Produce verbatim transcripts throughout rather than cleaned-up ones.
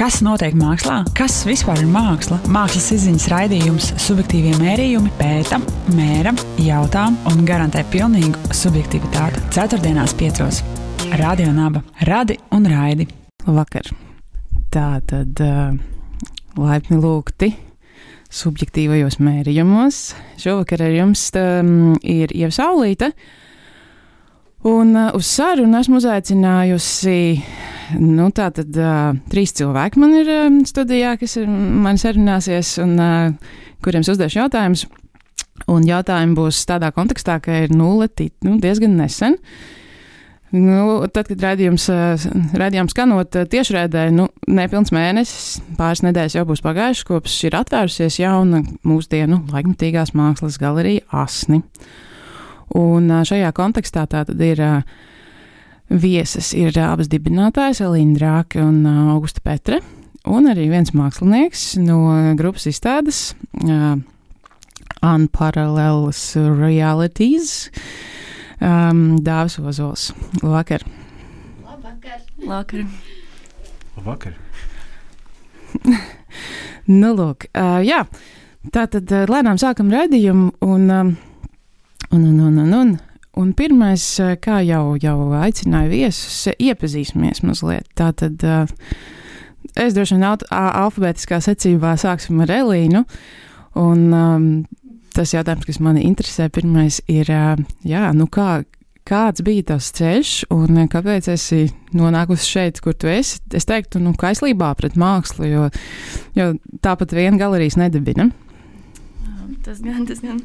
Kas notiek mākslā? Kas vispār ir māksla? Mākslas izziņas raidījums Subjektīvie mērījumi pēta, mēra, jautā un garantē pilnīgu subjektivitāti. Ceturtdienās piecos. Radio Naba. Radi un raidi. Vakar. Tā tad uh, laipni lūgti subjektīvajos mērījumos. Šovakar ar jums um, ir Ieva Saulīte. Un uh, uz sarunu esmu uzaicinājusi, nu tā tad uh, trīs cilvēki man ir uh, studijā, kas ir mani sarunāsies un uh, kuriem es uzdešu jautājumus. Un jautājumi būs tādā kontekstā, ka ir nulle tit, nu, diezgan nesen. Nu, tad, kad raidījums, uh, raidījums skanot uh, tiešraidē, nu, nepilns mēnesis, pāris nedēļas jau būs pagājušas, kopš ir atvērusies jauna mūsdienu laikmatīgās mākslas galerija Asni. Un šajā kontekstā tā tad ir uh, vieses, ir uh, abas dibinātājas, Elīna Drāke un uh, Augusta Petre, un arī viens mākslinieks no grupas izstādes uh, Unparallels Realities, um, Dāvis Ozols. Labvakar! Labvakar! Labvakar! Labvakar! Nu, lūk, uh, jā, tā tad uh, lēnām sākam raidījumu un... Um, Un, un, un, un, un, un pirmais, kā jau, jau aicināju viesus, iepazīsimies mazliet. Tātad es droši vien alfabētiskā secībā sāksim ar Elīnu. Un um, tas jautājums, kas mani interesē, pirmais ir, jā, nu kā, kāds bija tavs ceļš un kāpēc esi nonākusi šeit, kur tu esi? Es teiktu, nu, kaislībā pret mākslu, jo, jo tāpat vien galerijas nedibina. Tas gan, tas gan.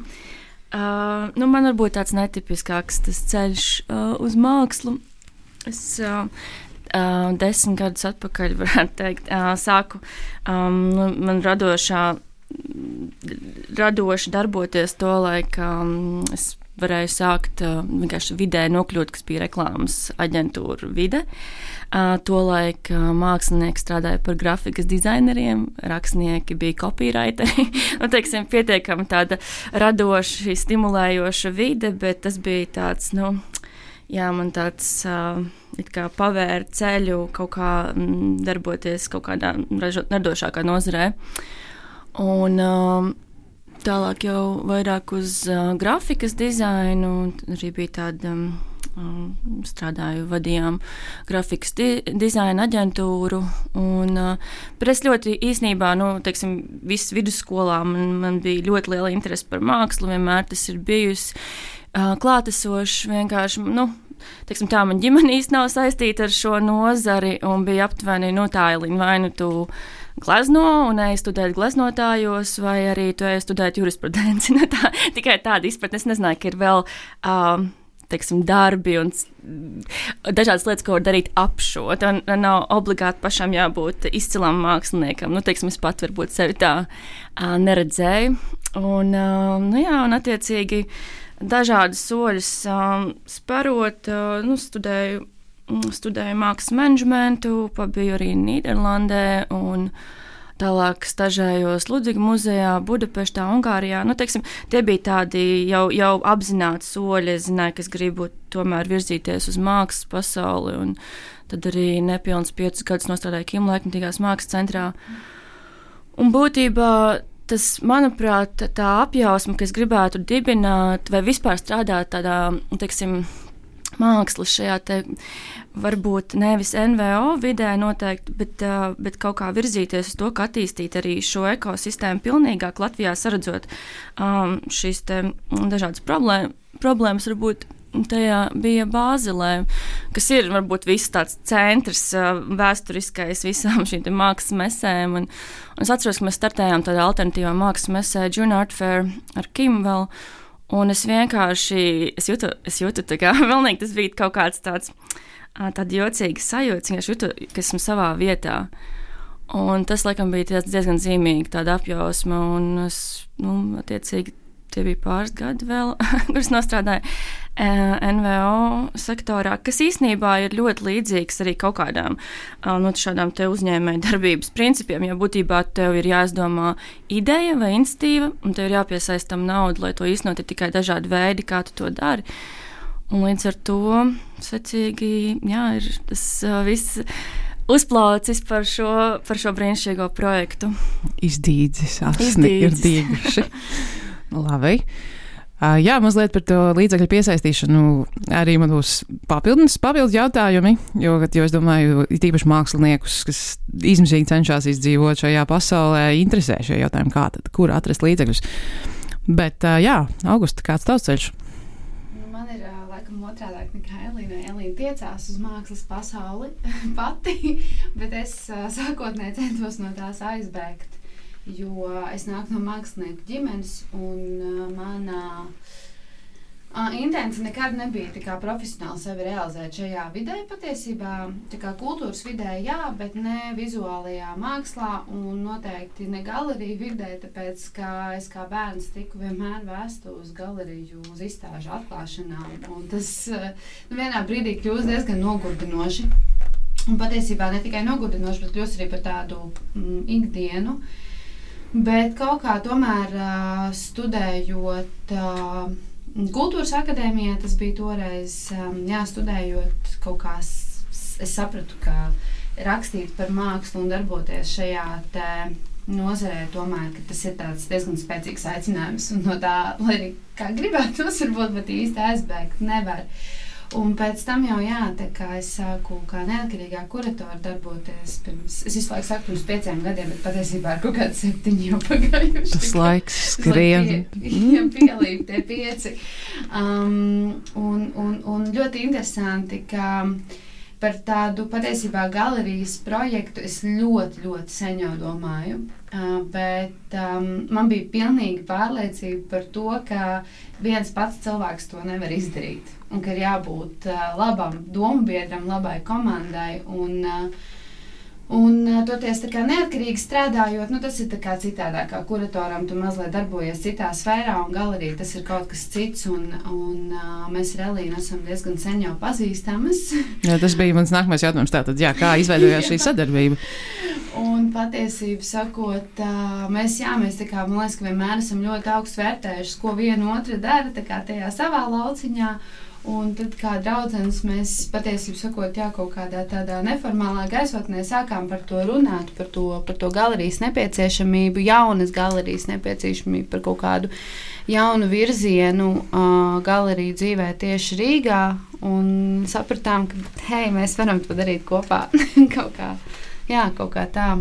Uh, nu man varbūt tāds netipiskāks tas ceļš uh, uz mākslu. Es uh, uh, desmit gadus atpakaļ, varētu teikt, uh, sāku um, nu, man radošā, radoši darboties to laiku. Um, es varēju sākt uh, vienkārši vidē nokļūt, kas bija reklāmas aģentūra vide. Uh, Tolaik uh, mākslinieki strādāja par grafikas dizaineriem, rakstnieki bija copywriteri. Nu, teiksim, pietiekami tāda radoši, stimulējoša vide, bet tas bija tāds, nu, jā, man tāds uh, it kā pavēra ceļu kaut kā mm, darboties kaut kādā radošākā nozarē. Un uh, tālāk jau vairāk uz uh, grafikas dizainu, arī bija tāda... Um, strādāju, vadījām grafikas di- dizaina aģentūru, un, bet es ļoti īsnībā, nu, teiksim, visu vidusskolā man, man bija ļoti liela interese par mākslu, vienmēr tas ir bijusi klātesoši, vienkārši, nu, teiksim tā, man ģimene īsti nav saistīta ar šo nozari, un bija aptuveni, nu, tā, Elīna, vai nu tu glezno un ej studēt gleznotājos, vai arī tu ej studēt jurisprudenci, nu, tā, tikai tāda izpratne, es nezināju, ka ir vēl... Um, teiksim, darbi un dažādas lietas, ko var darīt ap šo. Un nav obligāti pašam jābūt izcilam māksliniekam. Nu, teiksim, es pat varbūt sevi tā uh, neredzēju. Un, uh, nu jā, un attiecīgi dažādas soļus um, sparot, uh, nu, studēju, studēju mākslas menedžmentu, pabiju arī Nīderlandē un tālāk stažējos Ludviga muzejā, Budapeštā, Ungārijā. Nu, teiksim, tie bija tādi jau, jau apzināti soļi. Es zināju, ka es gribu tomēr virzīties uz mākslas pasauli, un tad arī nepilns piecus gadus nostrādāju Kim laikmatīgās mākslas centrā. Un būtībā tas, manuprāt, tā apjausma, ka es gribētu dibināt vai vispār strādāt tādā, teiksim, mākslas šajā te varbūt nevis N V O vidē noteikti, bet, uh, bet kaut kā virzīties uz to, ka attīstīt arī šo ekosistēmu pilnīgāk Latvijā, saredzot um, šīs te dažādas problēma, problēmas, varbūt tajā bija Bāzelē, kas ir varbūt viss tāds centrs uh, vēsturiskais visām šīm te mākslas mesēm, un, un es atceros, ka mēs startējām tādā alternatīvā mākslas mesē June Art Fair ar Kim vēl. Un es vienkārši, es jūtu, es jūtu tā kā, vēlnīgi tas bija kaut kāds tāds, tāda jocīga sajūta, es jūtu, ka esmu savā vietā. Un tas, laikam, bija diezgan zīmīgi tāda apjausma, un es, nu, attiecīgi, tie bija pāris gadi vēl, kuras nostrādāju N V O sektorā, kas īstenībā ir ļoti līdzīgs arī kaut kādām no šādām te uzņēmēju darbības principiem, jo būtībā tev ir jāizdomā ideja vai institīva, un tev ir jāpiesaist tam naudu, lai to īstenot, ir tikai dažādi veidi, kā tu to dari. Un līdz ar to, secīgi, jā, ir tas uh, viss uzplaucis par šo, par šo brīnišķīgo projektu. Izdīdzis, asni ir dīguši. Labi. Uh, jā, mazliet par to līdzekļu piesaistīšanu arī man būs papildus, papildus jautājumi, jo, jo es domāju, tīpaši māksliniekus, kas izmisīgi cenšas izdzīvot šajā pasaulē, interesē šie jautājumi, kā tad, kur atrast līdzekļus. Bet, uh, jā, Augusta, kāds tavs ceļš? Man ir uh, laikam otrādāk nekā Elīna. Elīna tiecās uz mākslas pasauli pati, bet es uh, sākotnēji centos no tās aizbēgt. Jo es nāku no mākslinieku ģimenes, un uh, manā uh, intence nekad nebija tā kā profesionāli sevi realizēt šajā vidē patiesībā. Tā kā kultūras vidē, jā, bet ne vizuālajā mākslā un noteikti ne galeriju vidē, tāpēc, ka es kā bērns tiku vienmēr vēstu uz galeriju, uz izstāžu atklāšanām. Un tas uh, nu, vienā brīdī kļūst diezgan nogurdinoši. Un patiesībā ne tikai nogurdinoši, bet kļūst arī par tādu mm, ikdienu. Bet kaut kā tomēr uh, studējot uh, kultūras akadēmijā, tas bija toreiz, um, jā, studējot kaut kā, s- es sapratu, ka rakstīt par mākslu un darboties šajā te nozarē tomēr, ka tas ir tāds diezgan spēcīgs aicinājums un no tā, lai arī kā gribētos, varbūt, bet īsti aizbēgt nevar. Un pēc tam jau jā, tā kā es sāku kā neatkarīgā kuratora darboties pirms, es visu laiku saku pirms pieciem gadiem, bet patiesībā ar kaut kādu septiņu jau pagājuši. Tas laiks skrien. Jā, pielīp tie pieci. Um, un, un, un ļoti interesanti, ka par tādu patiesībā galerijas projektu es ļoti, ļoti sen jau domāju. Uh, bet um, man bija pilnīga pārliecība par to, ka viens pats cilvēks to nevar izdarīt. Un ka ir jābūt uh, labam dombiedram, labai komandai. Un, uh, un uh, toties tā kā neatkarīgi strādājot, nu, tas ir tā kā citādāk. Kā kuratoram tu mazliet darbojies citā sfērā, un galerija tas ir kaut kas cits. Un, un uh, mēs ar Elīnu esam diezgan sen jau pazīstamas. Jā, tas bija mans nākamais jautājums. Tātad, jā, kā izveidojās šī sadarbība? Un patiesību sakot, uh, mēs, jā, mēs tā kā, man liekas, ka vienmēr esam ļoti augstu vērtējuši, ko viena otra dara, tā kā tajā savā lauciņā. Un tad kā draudzenes mēs patiesību sakot, jā, kaut kādā tādā neformālā gaisotnē sākām par to runāt, par to, par to galerijas nepieciešamību, jaunas galerijas nepieciešamību, par kaut kādu jaunu virzienu uh, galeriju dzīvē tieši Rīgā. Un sapratām, ka, hei, mēs varam to darīt kopā kaut kā, jā, kaut kā tā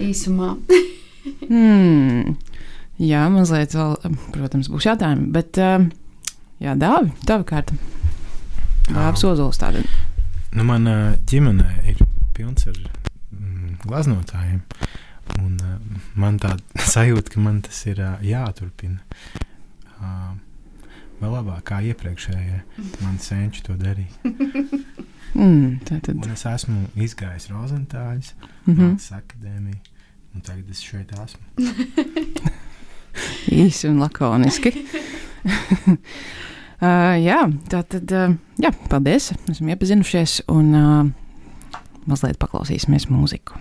īsumā. hmm. Jā, mazliet vēl, protams, būs jautājumi, bet... Uh, Jā, Dāvi, tava kārta. Dāvis Ozols tāda. Nu, man ģimenē ir pilns ar mm, glaznotājiem. Un uh, man tāda sajūta, ka man tas ir uh, jāturpina. Uh, vēl labāk kā iepriekšējie. Man senči to darīja. mm, tā tad. Un es esmu izgājis Rozentāļus, mm-hmm. Mākslas akadēmiju. Un tagad es šeit esmu. Īsi un lakoniski. Uh, jā, tā tad, uh, jā, paldies, esam iepazinušies un uh, mazliet paklausīsimies mūziku.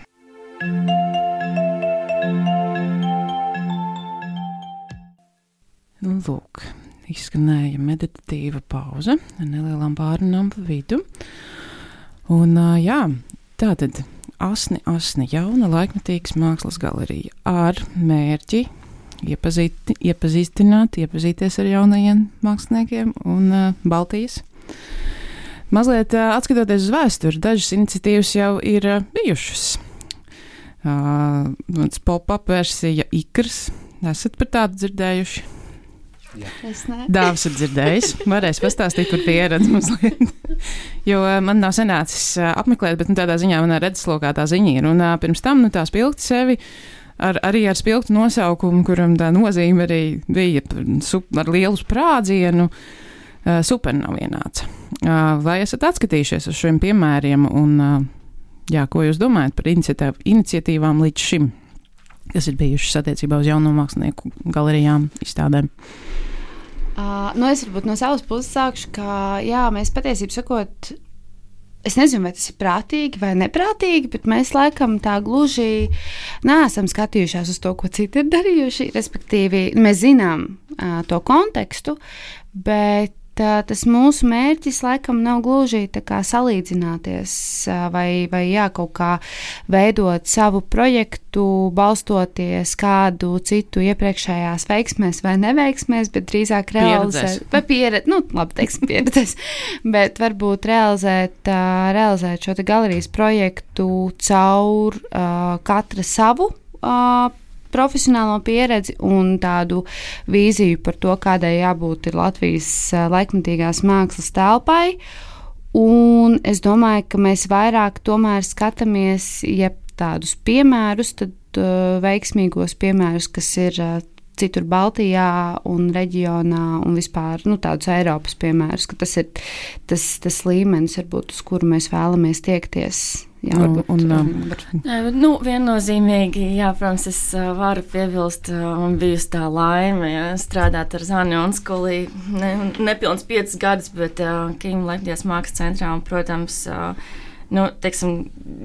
Nu, lūk, izskanēja meditatīva pauze ar nelielām pārunām pa vidu. Un, uh, jā, tā tad asni, asni jauna laikmetīgas mākslas galerija ar mērķi Iepazīt, iepazīstināt, iepazīties ar jaunajiem māksliniekiem un uh, Baltijas. Mazliet uh, atskatoties uz vēsturi, dažas iniciatīvas jau ir uh, bijušas. Uh, pop-up versija Ikrs. Esat par tādu dzirdējuši? Jā. Es ne. Dāvis ir dzirdējis. Varēs pastāstīt par pieredzi mazliet. Jo uh, man nav sanācis uh, apmeklēt, bet nu, tādā ziņā manā redzeslokā tā ziņa ir. Un uh, pirms tam nu, tā spilgti sevi Ar, arī ar spilgtu nosaukumu, kuram tā nozīme arī bija sup, ar lielu sprādzienu, uh, supernovienāts. Uh, vai esat atskatījušies uz šiem piemēriem un uh, jā, ko jūs domājat par iniciatīvām līdz šim, kas ir bijušas attiecībā uz jauno mākslinieku galerijām, izstādēm? Uh, nu es varbūt no savas puses sākšu, ka jā, mēs patiesībā sakot, es nezinu, vai tas ir prātīgi vai neprātīgi, bet mēs laikam tā gluži neesam skatījušās uz to, ko citi ir darījuši. Respektīvi, mēs zinām uh, to kontekstu, bet uh, tas mūsu mērķis laikam nav gluži tā kā salīdzināties uh, vai, vai jā, kaut kā veidot savu projektu, balstoties kādu citu iepriekšējās veiksmēs vai neveiksmēs, bet drīzāk realizēt, vai pieredzi, nu, labi, teiksim, pieredzēs, bet varbūt realizēt, uh, realizēt šo te galerijas projektu caur uh, katra savu uh, profesionālo pieredzi un tādu vīziju par to, kādai jābūt ir Latvijas laikmatīgās mākslas telpai. Un es domāju, ka mēs vairāk tomēr skatāmies, ja tādus piemērus, tad uh, veiksmīgos piemērus, kas ir uh, citur Baltijā un reģionā un vispār nu, tādus Eiropas piemērus, ka tas ir tas, tas līmenis, varbūt, uz kuru mēs vēlamies tiekties. Jā, varbūt, un, un, var... nu, viennozīmīgi, jā, protams, es uh, varu piebilst, uh, un bijusi tā laime, ja, strādāt ar Zani Onskuli, ne, nepilns piecus gadus, bet uh, Kīma Laikmatīgās mākslas centrā, un, protams, uh, nu, teiksim,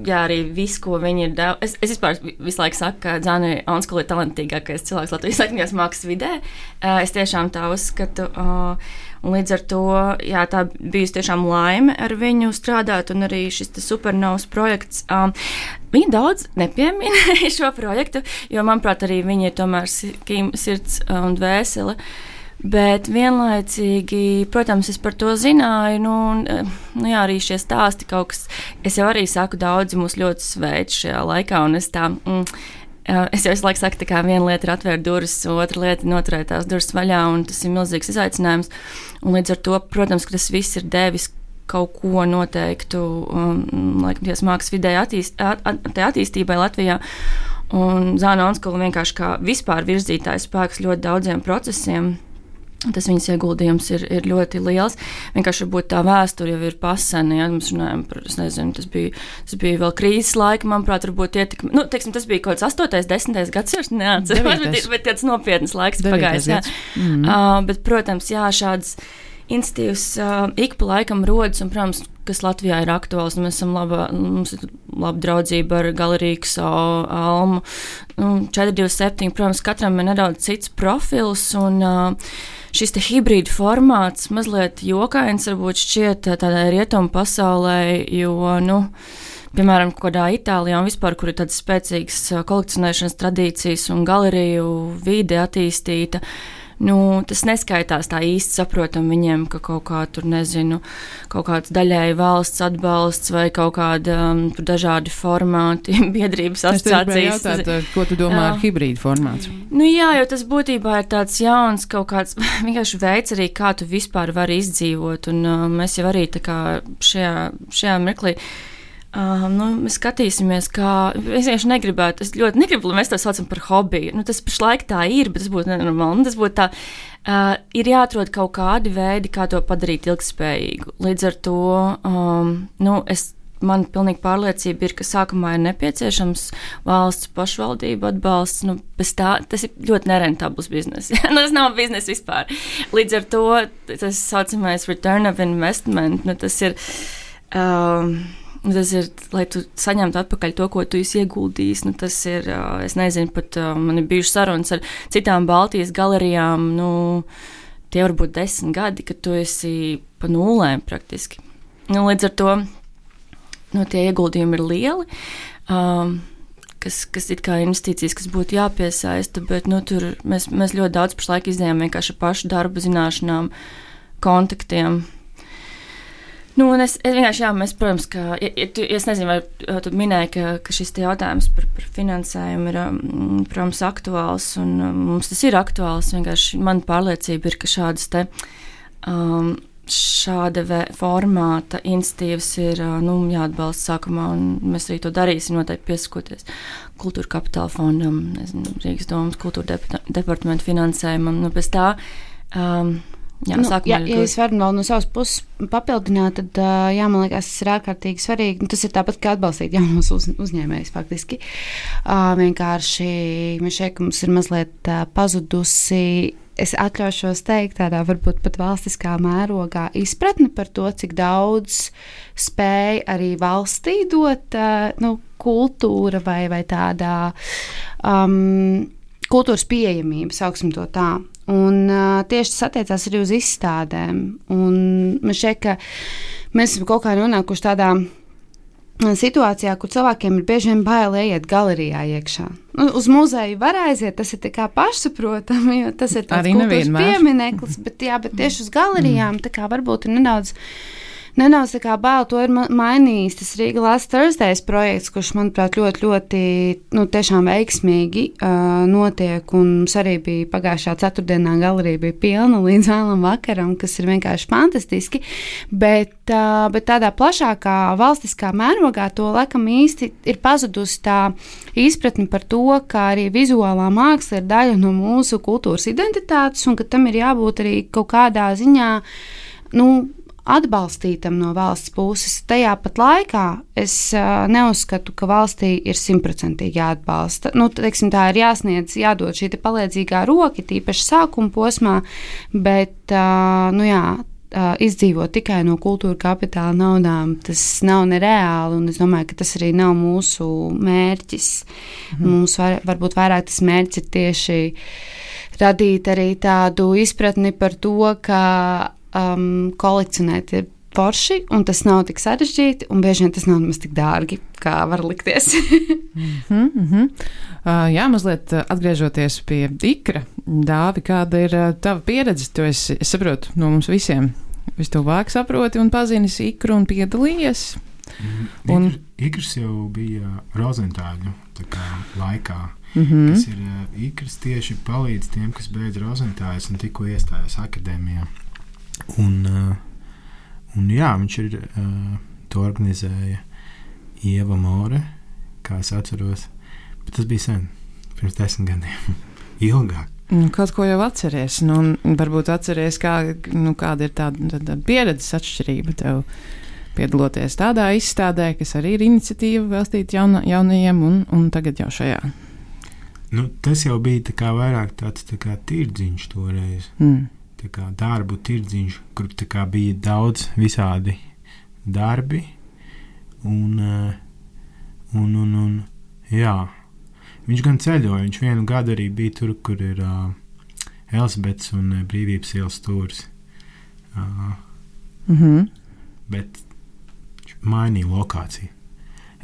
jā, arī viss, ko viņi ir devuši. Es, es vispār visu laiku saku, ka Zani Onskuli ir talantīgākais cilvēks Latvijas Laikmatīgās mākslas vidē. Uh, es tiešām tā uzskatu. Uh, Un līdz ar to, jā, tā bijusi tiešām laime ar viņu strādāt, un arī šis supernovas projekts. Um, viņa daudz nepiemina šo projektu, jo, manuprāt, arī viņa ir tomēr sirds un dvēsele. Bet vienlaicīgi, protams, es par to zināju, nu, nu jā, arī šie stāsti kaut kas, es jau arī saku, daudzi mūs ļoti sveic šajā laikā, un es tā... Mm, Es jau visu laiku saku, ka viena lieta ir atvērt durvis, otra lieta ir noturēt tās durvis vaļā, un tas ir milzīgs izaicinājums. Un līdz ar to, protams, ka tas viss ir devis kaut ko noteiktu um, laikmatīgās mākslas vidē attīst, at, at, attīstībai Latvijā. Un Zana Onskula vienkārši kā vispār virzītājs spēks ļoti daudziem procesiem. Tas viņas ieguldījums ir, ir ļoti liels. Vienkārši varbūt tā vēsture jau ir pasena, ja mēs runājam par, es nezinu, tas bija, tas bija vēl krīzes laika, manuprāt, varbūt ietekmi. Nu, teiksim, tas bija kaut kāds astotais, desmitais gads, es neatceros, bet, bet tāds nopietnas laiks pagājis. Jā. Mm-hmm. Uh, bet, protams, jā, šādas institīvas uh, ik pa laikam rodas, un, protams, kas Latvijā ir aktuāls, un mēs esam laba, mums ir laba draudzība ar Galeriju X O, Almu, nu, četri divi septiņi, protams, katram ir nedaudz cits profils, un uh, šis te hibrīda formāts mazliet jokains varbūt šķiet tādai rietumu pasaulē, jo, nu, piemēram, kādā Itālijā un vispār, kur ir tādas spēcīgas kolekcionēšanas tradīcijas un galeriju vide attīstīta, nu, tas neskaitās tā īsti saprotam viņiem, ka kaut kā tur, nezinu, kaut kāds daļēji valsts atbalsts vai kaut kāda um, dažādi formāti, biedrības asociācijas. Es jautāt, ko tu domā ar hibrīdu formātu? Nu jā, jo tas būtībā ir tāds jauns kaut kāds vienkārši veids arī, kā tu vispār vari izdzīvot, un uh, mēs jau arī tā kā šajā, šajā mirklī Uh, nu, mēs skatīsimies, kā. Es vienkārši negribētu, es ļoti negribu, lai mēs to saucam par hobiju. Nu, tas pašlaik tā ir, bet tas būtu nenormāli. Tas būtu tā, uh, ir jāatrod kaut kādi veidi, kā to padarīt ilgspējīgu. Līdz ar to, um, nu, es, man pilnīgi pārliecība ir, ka sākumā ir nepieciešams valsts pašvaldība atbalsts. Nu, bez tā, tas ir ļoti nerentabls biznes. nu, tas nav biznes vispār. Līdz ar to, tas saucamais return of investment, nu, tas ir. Um, Tas ir, lai tu saņemtu atpakaļ to, ko tu esi ieguldījis. Nu, tas ir, es nezinu, pat man ir bijušas sarunas ar citām Baltijas galerijām. Nu, tie var būt desmit gadi, kad tu esi pa nulēm praktiski. Nu, līdz ar to nu, tie ieguldījumi ir lieli, um, kas, kas it kā investīcijas, kas būtu jāpiesaista, bet nu, tur mēs, mēs ļoti daudz pašlaik izdējām vienkārši pašu darbu zināšanām, kontaktiem. Nu, es, es vienkārši, jā, mēs, protams, ka, ja, ja tu, es nezinu, vai tu minēji, ka, ka šis te jautājums par, par finansējumu ir, protams, aktuāls, un mums tas ir aktuāls, vienkārši man pārliecība ir, ka šādas te, um, šāda vē, formāta institīvas ir, nu, jāatbalsta sākumā, un mēs arī to darīsim, noteikti piesakoties Kultūra Kapitāla fondam, nezinu, Rīgas domas kultūra departamentu finansējumam, nu, pēc tā, um, Jā, nu, jā, ja es varu vēl no savas puses papildināt, tad, jā, man liekas, tas ir ārkārtīgi svarīgi. Nu, tas ir tāpat, kā atbalstīt jaunos uz, uzņēmējus faktiski. Uh, vienkārši mēs šeit, ka mums ir mazliet uh, pazudusi, es atļaušos teikt, tādā varbūt pat valstiskā mērogā izpratne par to, cik daudz spēja arī valstī dot uh, nu, kultūra vai, vai tādā um, kultūras pieejamība, sauksim to tā. Un uh, tieši tas attiecās arī uz izstādēm. Un man šķiet, ka mēs esam kaut kā nonākuši tādā situācijā, kur cilvēkiem ir bieži vien bail iet galerijā iekšā. Nu, uz muzeju var aiziet, tas ir tā kā pašsaprotami, jo tas ir tāds kultūras piemineklis, bet, jā, bet tieši uz galerijām tā kā varbūt ir nedaudz Nedaudz tā kā bail, to ir mainījis tas Riga Last Thursdays projekts, kurš, manuprāt, ļoti, ļoti, nu, tiešām veiksmīgi uh, notiek, un mums arī bija pagājušā ceturtdienā galerija bija pilna līdz vēlam vakaram, kas ir vienkārši fantastiski, bet, uh, bet tādā plašākā valstiskā mērogā to laikam īsti ir pazudusi tā izpratni par to, ka arī vizuālā māksla ir daļa no mūsu kultūras identitātes, un ka tam ir jābūt arī kaut kādā ziņā, nu, atbalstītam no valsts puses. Tajā pat laikā es uh, neuzskatu, ka valstī ir simtprocentīgi jāatbalsta. Nu, teiksim, tā ir jāsniedz, jādod šī palīdzīgā roka, tīpaši sākuma posmā, bet uh, nu jā, uh, izdzīvot tikai no kultūra kapitāla naudām, tas nav nereāli, un es domāju, ka tas arī nav mūsu mērķis. Mhm. Mums var, varbūt vairāk tas mērķis ir tieši radīt arī tādu izpratni par to, ka Um, kolekcionēt ir forši, un tas nav tik sarežģīti, un bieži vien tas nav nemaz tik dārgi, kā var likties. mm -hmm. uh, jā, mazliet atgriežoties pie ikra, Dāvi, kāda ir uh, tava pieredze? Tu esi, es saprotu, no mums visiem vistuvāk saproti un pazīnis ikru un piedalījies. Mm, un... Ikrs jau bija Rozentāļu laikā, mm -hmm. kas ir uh, ikrs tieši palīdz tiem, kas beidz Rozentāļus un tikko iestājās akadēmijā. Un, uh, un jā, viņš ir uh, to organizēja Ieva More, kā es atceros, bet tas bija sen, pirms desmit gadiem, ilgāk. Kaut ko jau atceries, nu, un varbūt atceries, kā, nu, kāda ir tāda, tāda pieredzes atšķirība tev piedaloties tādā izstādē, kas arī ir iniciatīva veltīta jauna, jaunajiem, un, un tagad jau šajā. Nu, tas jau bija tā kā vairāk tāds tā kā tirdziņš toreiz. Mm. Tā kā darbu tirdziņš, kur tā kā bija daudz visādi darbi, un, un, un, un jā, viņš gan ceļoja, viņš vienu gadu arī bija tur, kur ir uh, Elizabetes un uh, Brīvības ielas stūris, uh, mm-hmm. bet viņš mainīja lokāciju.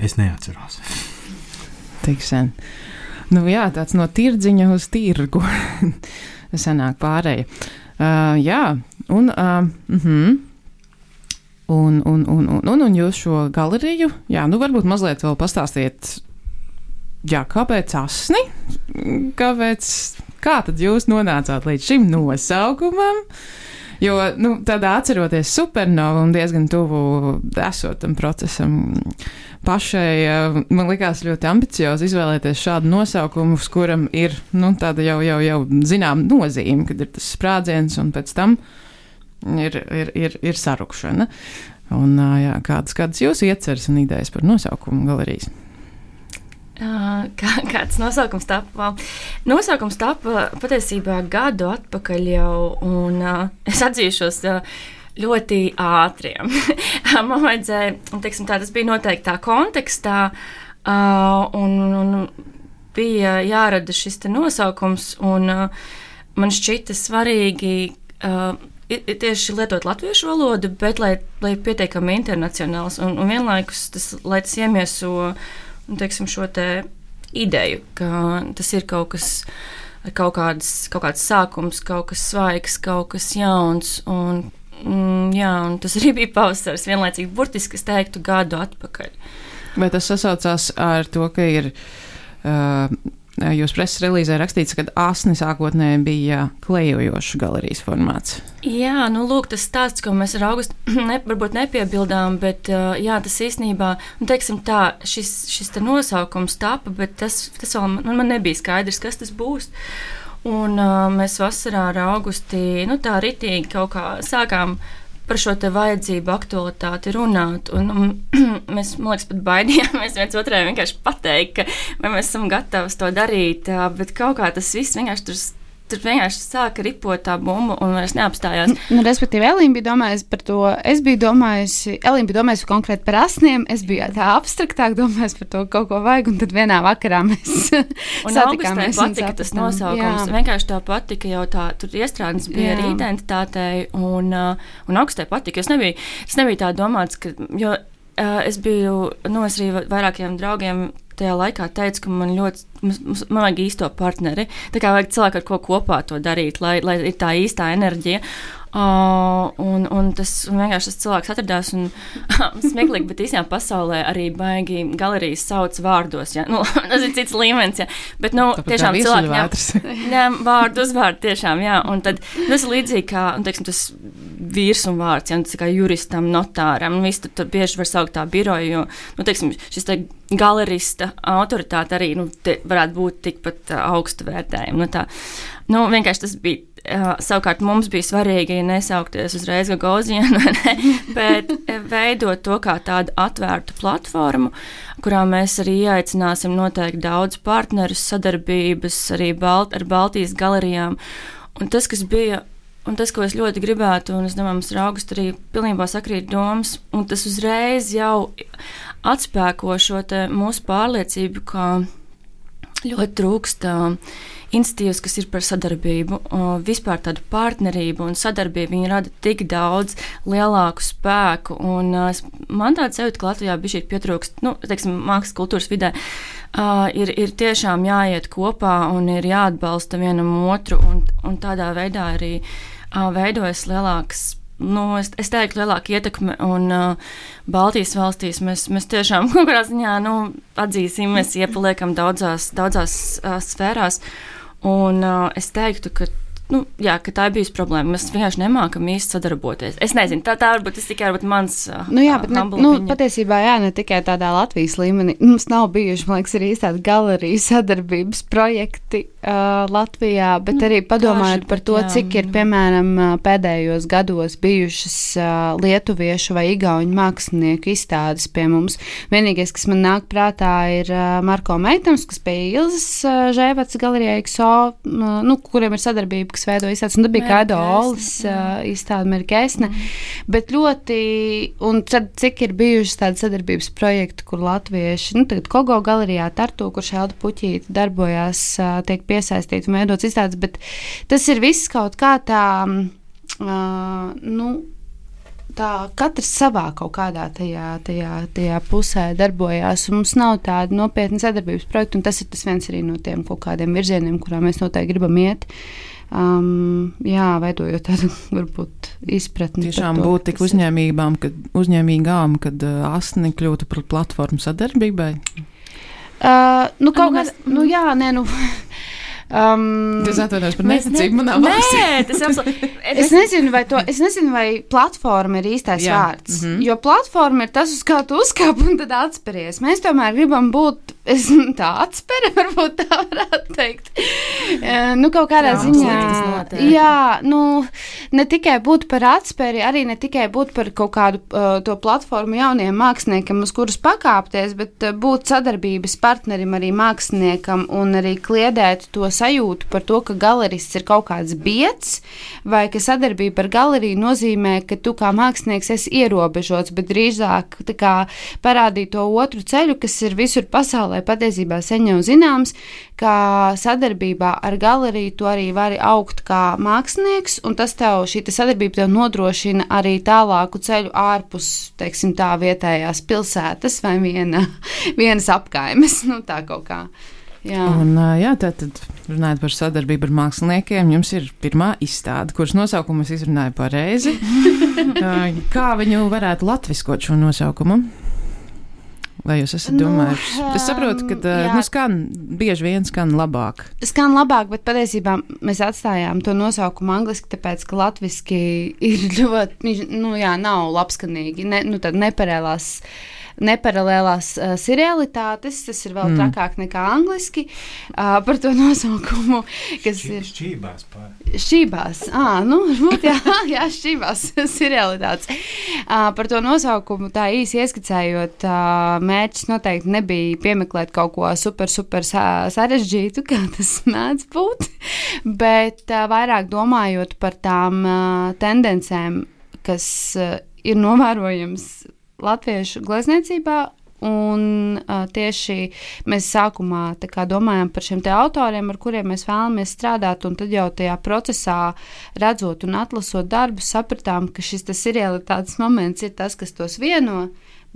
Es neatceros. Tik sen. Nu jā, tāds no tirdziņa uz tirgu sanāk pārēja. Uh, jā, un, uh, uh-huh. un, un, un, un, un, un jūs šo galeriju, jā, nu varbūt mazliet vēl pastāstiet, jā, kāpēc Asni? Kāpēc, kā tad jūs nonācāt līdz šim nosaukumam? Jo, nu, tādā atceroties Supernovu un diezgan tuvu esot tam procesam pašai, man likās ļoti ambiciozi izvēlēties šādu nosaukumu, uz kuram ir, nu, tāda jau, jau, jau zinām nozīme, kad ir tas sprādziens un pēc tam ir, ir, ir, ir sarukšana. Un, jā, kādas, kādas jūsu ieceres un idejas par nosaukumu galerijas? Uh, kā, kāds nosaukums tapa? Nosaukums tapa patiesībā gadu atpakaļ jau, un uh, es atzīšos uh, ļoti ātriem. Man vajadzēja, teiksim tā, tas bija noteikti tā kontekstā, uh, un, un bija jārada šis te nosaukums, un uh, man šķita svarīgi uh, tieši lietot latviešu valodu, bet lai, lai pietiekami internacionāls, un, un vienlaikus tas, lai tas iemieso un, teiksim, šo te ideju, ka tas ir kaut kas, kaut kāds, kaut kāds sākums, kaut kas svaigs, kaut kas jauns, un, mm, jā, un tas arī bija pavasaris, vienlaicīgi burtiski es teiktu gadu atpakaļ. Vai tas sasaucās ar to, ka ir, uh, jūs preses relīzē rakstīts, ka Asni sākotnēji bija klejojošs galerijas formāts? Jā, nu lūk, tas stāsts, ko mēs ar Augustu ne, varbūt nepiebildām, bet jā, tas īstenībā, nu teiksim tā, šis, šis te nosaukums tapa, bet tas, tas vēl man, man nebija skaidrs, kas tas būs. Un uh, mēs vasarā ar Augusti, nu tā ritīgi kaut kā sākām par šo te vajadzību aktualitāti runāt, un, un mēs, man liekas, pat baidījāmies viens otrai vienkārši pateikt, ka vai mēs esam gatavi to darīt, bet kaut kā tas viss vienkārši tur tur vienkārši sāka ripot tā bumba un vairs neapstājās. Nu, respektīvi, Elīna bija domājusi par to, es biju domājusi, Elīna bija domājusi konkrēti par asniem, es biju tā abstraktāk domājusi par to kaut ko vajag, un tad vienā vakarā mēs un satikāmies. Un patika tas nosaukums, jā. Vienkārši tā patika jau tā, tur iestrādnes bija jā. Ar identitātei, un, un augstē patika. Es nebiju, es nebiju tā domāts, ka, jo uh, es biju, nu, es arī vairākiem draugiem tajā laikā teicu, ka man ļoti, man vajag īsto partneri, tā kā vajag cilvēku ar ko kopā to darīt, lai, lai ir tā īstā enerģija. Uh, un, un tas un vienkārši tas cilvēks atradās un smieklīgi, bet īstenībā pasaulē arī baigi galerijas sauc vārdos, ja? Nu, tas ir cits līmenis, ja? Bet, nu, tāpat tiešām cilvēki ņem vārdu uzvārdu tiešām, jā, un tad tas ir līdzīgi kā, un, teiksim, tas vīrs un vārds, ja, un tas kā juristam, notāram, un viss tur, tur bieži var saukt tā biroju, jo, nu, teiksim, šis te galerista autoritāte arī, nu, te varētu būt tikpat uh, augstu vērtējumu, nu, tā, nu, vienkārši tas bija, uh, savukārt mums bija svarīgi nesaukties uzreiz Gagauzienu, ne, bet veidot to kā tādu atvērtu platformu, kurā mēs arī ieaicināsim noteikti daudz partnerus, sadarbības arī Balt, ar Baltijas galerijām, un tas, kas bija Un tas, ko es ļoti gribētu, un es domāju, mums ar Augustu arī pilnībā sakrīt domas, un tas uzreiz jau atspēko šo te mūsu pārliecību, ka ļoti trūkst institīvas, kas ir par sadarbību, vispār tādu partnerību un sadarbību, viņi rada tik daudz lielāku spēku, un man tāds sajūta, ka Latvijā bišķīt pietrūkst, nu, teiksim, mākslas kultūras vidē, uh, ir, ir tiešām jāiet kopā un ir jāatbalsta vienam otru, un, un tādā veidā arī uh, veidojas lielāks, nu, es, es teiktu, lielāka ietekme, un uh, Baltijas valstīs mēs, mēs tiešām kaut kādā ziņā, nu, atzīsim, mēs iepaliekam daudzās, daudzās uh, sfērās, un uh, es teiktu, ka Nu, jā, ka tā ir bijusi problēma. Mēs vienkārši nemākam īsti sadarboties. Es nezinu, tā, tā varbūt tas tikai varbūt mans uh, nu, jā, bet ne, nu, patiesībā jā, ne tikai tādā Latvijas līmenī. Mums nav bijuši, man liekas, arī tādi galeriju sadarbības projekti uh, Latvijā, bet arī padomājot Kāši, par to, jā. Cik ir, piemēram, pēdējos gados bijušas uh, lietuviešu vai igauņu mākslinieku izstādes pie mums. Vienīgais, kas man nāk prātā, ir uh, Marko Meitams, kas pie Ilzas uh, Žēvats galerijā X O, uh, nu, kuriem ir sadarbība, kas veido izstādes, un tad bija Kaido Olis uh, izstāde Merkeisne, mm. bet ļoti, un tad cik ir bijušas tāda sadarbības projekti, kur latvieši, nu tagad Kogo galerijā Tartu, kur Šelda Puķīte darbojās, uh, tiek piesaistīti un veidots izstādes, bet tas ir viss kaut kā tā, uh, nu, tā katrs savā kaut kādā tajā, tajā, tajā pusē darbojās, un mums nav tāda nopietna sadarbības projekta, un tas ir tas viens arī no tiem kaut kādiem virzieniem, kurā mēs noteikti gribam iet. Um, jā, veidojot tādu, varbūt, izpratni. Tiešām būt tik uzņēmībām, kad, uzņēmīgām, kad uh, asni kļūtu par platformu sadarbībai? Uh, nu, kaut kādā, nu, jā, nē, nu... Um, tas atvainojas par neticību manā valstī. Nē, tas absolūti. Es nezinu, vai to, es nezinu, vai platforma ir īstais jā. Vārds, mm-hmm. jo platforma ir tas, uz kā tu uzkāp un tad atspēries. Mēs tomēr gribam būt, es, tā atspēre, varbūt tā varētu teikt. Uh, nu, kaut kādā jā, ziņā, jā, nu, ne tikai būt par atspēri, arī ne tikai būt par kaut kādu uh, to platformu jauniem māksliniekam, uz kurus pakāpties, bet uh, būt sadarbības partnerim arī māksliniekam un arī kliedēt to sajūtu par to, ka galerists ir kaut kāds bieds, vai ka sadarbība ar galeriju nozīmē, ka tu kā mākslinieks esi ierobežots, bet drīzāk tā kā parādīt to otru ceļu, kas ir visur pasaulē patiesībā sen jau zināms, ka sadarbībā ar galeriju tu arī vari augt kā mākslinieks, un tas tev, šī sadarbība tev nodrošina arī tālāku ceļu ārpus, teiksim tā, vietējās pilsētas vai viena, vienas apkaimes, nu tā kaut kā. Jā. Un, jā, tātad, runājot par sadarbību ar māksliniekiem, jums ir pirmā izstāde, kuras nosaukumu es izrunāju pareizi. Kā viņu varētu latviskot šo nosaukumu? Vai jūs esat domājuši? Nu, es saprotu, ka jā. nu, skan, bieži vien skan labāk. Skan labāk, bet patiesībā mēs atstājām to nosaukumu angliski, tāpēc, ka latviski ir ļoti, nu jā, nav labskanīgi, ne, nu tad neparēlās neparalēlās uh, serialitātes, tas ir vēl mm. trakāk nekā angliski, uh, par to nosaukumu, kas Šķi, ir... Šķībās pār. Šķībās, ā, nu, varbūt jā, jā, šķībās serialitātes. Uh, par to nosaukumu tā īsi ieskicējot, uh, mērķis noteikti nebija piemeklēt kaut ko super, super sarežģītu, kā tas mēdz būt, bet uh, vairāk domājot par tām uh, tendencēm, kas uh, ir novērojams latviešu glezniecībā, un uh, tieši mēs sākumā tā kā domājam par šiem te autoriem, ar kuriem mēs vēlamies strādāt, un tad jau tajā procesā redzot un atlasot darbus, sapratām, ka šis tas serialitātes moments ir tas, kas tos vieno,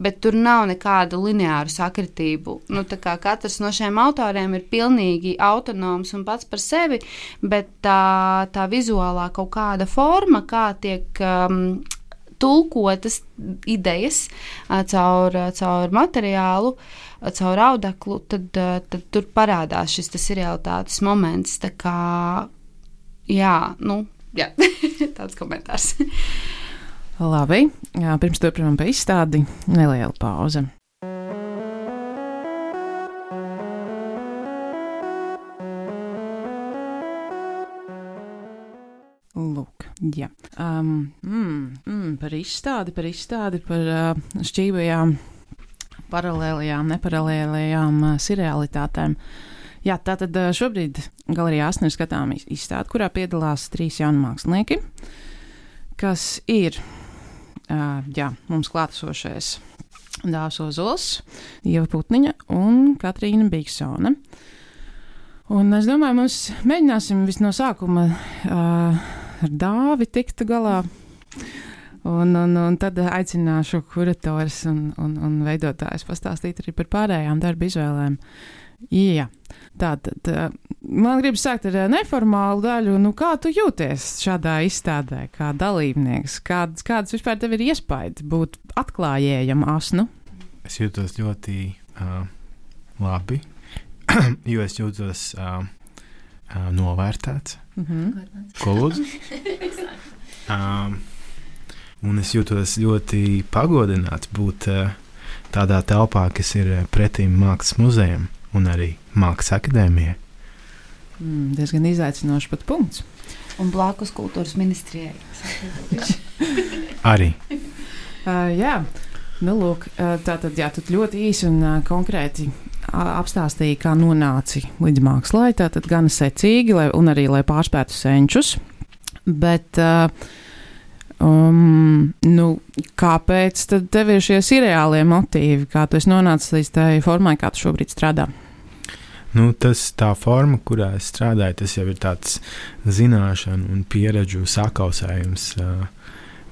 bet tur nav nekādu lineāru sakritību. Nu, tā kā katrs no šiem autoriem ir pilnīgi autonoms un pats par sevi, bet tā, tā vizuālā kaut kāda forma, kā tiek um, tulkotas idejas uh, caur, uh, caur materiālu, uh, caur audeklu, tad, uh, tad tur parādās šis tas realitātes moments. Tā kā, jā, nu, jā, tāds komentārs. Labi, jā, pirms turpinām pa izstādi, neliela pauze. Lūk, jā. Um, mm, mm, par izstādi, par izstādi, par uh, šķībajām, paralēlajām, neparalēlajām uh, serialitātēm. Jā, tātad uh, šobrīd galerijā Asna ir skatām izstādi, kurā piedalās trīs jauni mākslinieki, kas ir Uh, jā, mums klātesošais Dāvs Ozols, Ieva Putniņa un Katrīna Biksone. Un es domāju, mums mēģināsim vis no sākuma uh, ar Dāvi tikt galā, un, un, un tad aicināšu kurators un, un, un veidotājs pastāstīt arī par pārējām darba izvēlēm. Jā, tātad man gribas sākt ar neformālu daļu. Nu, kā tu jūties šādā izstādē, kā dalībnieks? Kāds, kāds vispār tev ir iespējas būt atklājējam Asnu? Es jūtos ļoti uh, labi, jo es jūtos uh, uh, novērtēts. Mm-hmm. Ko lūdzu? um, un es jūtos ļoti pagodināts būt uh, tādā telpā, kas ir pretīm Mākslas muzejam un arī Mākslas akadēmijai. Mm, diezgan izaicinoši pat punkts. Un blakus kultūras ministrijai. Arī. Uh, jā, nu lūk, uh, tātad jā, tu ļoti īsi un uh, konkrēti uh, apstāstīji, kā nonāci līdz mākslai, tātad gan secīgi, lai, un arī, lai pārspētu senčus, bet uh, um, nu, kāpēc tad tev ir šie seriālie motīvi, kā tu esi nonācis līdz tai formai, kā tu šobrīd strādā? Nu, tas tā forma, kurā es strādāju, tas jau ir tāds zināšanu un pieredžu sakausējums, uh,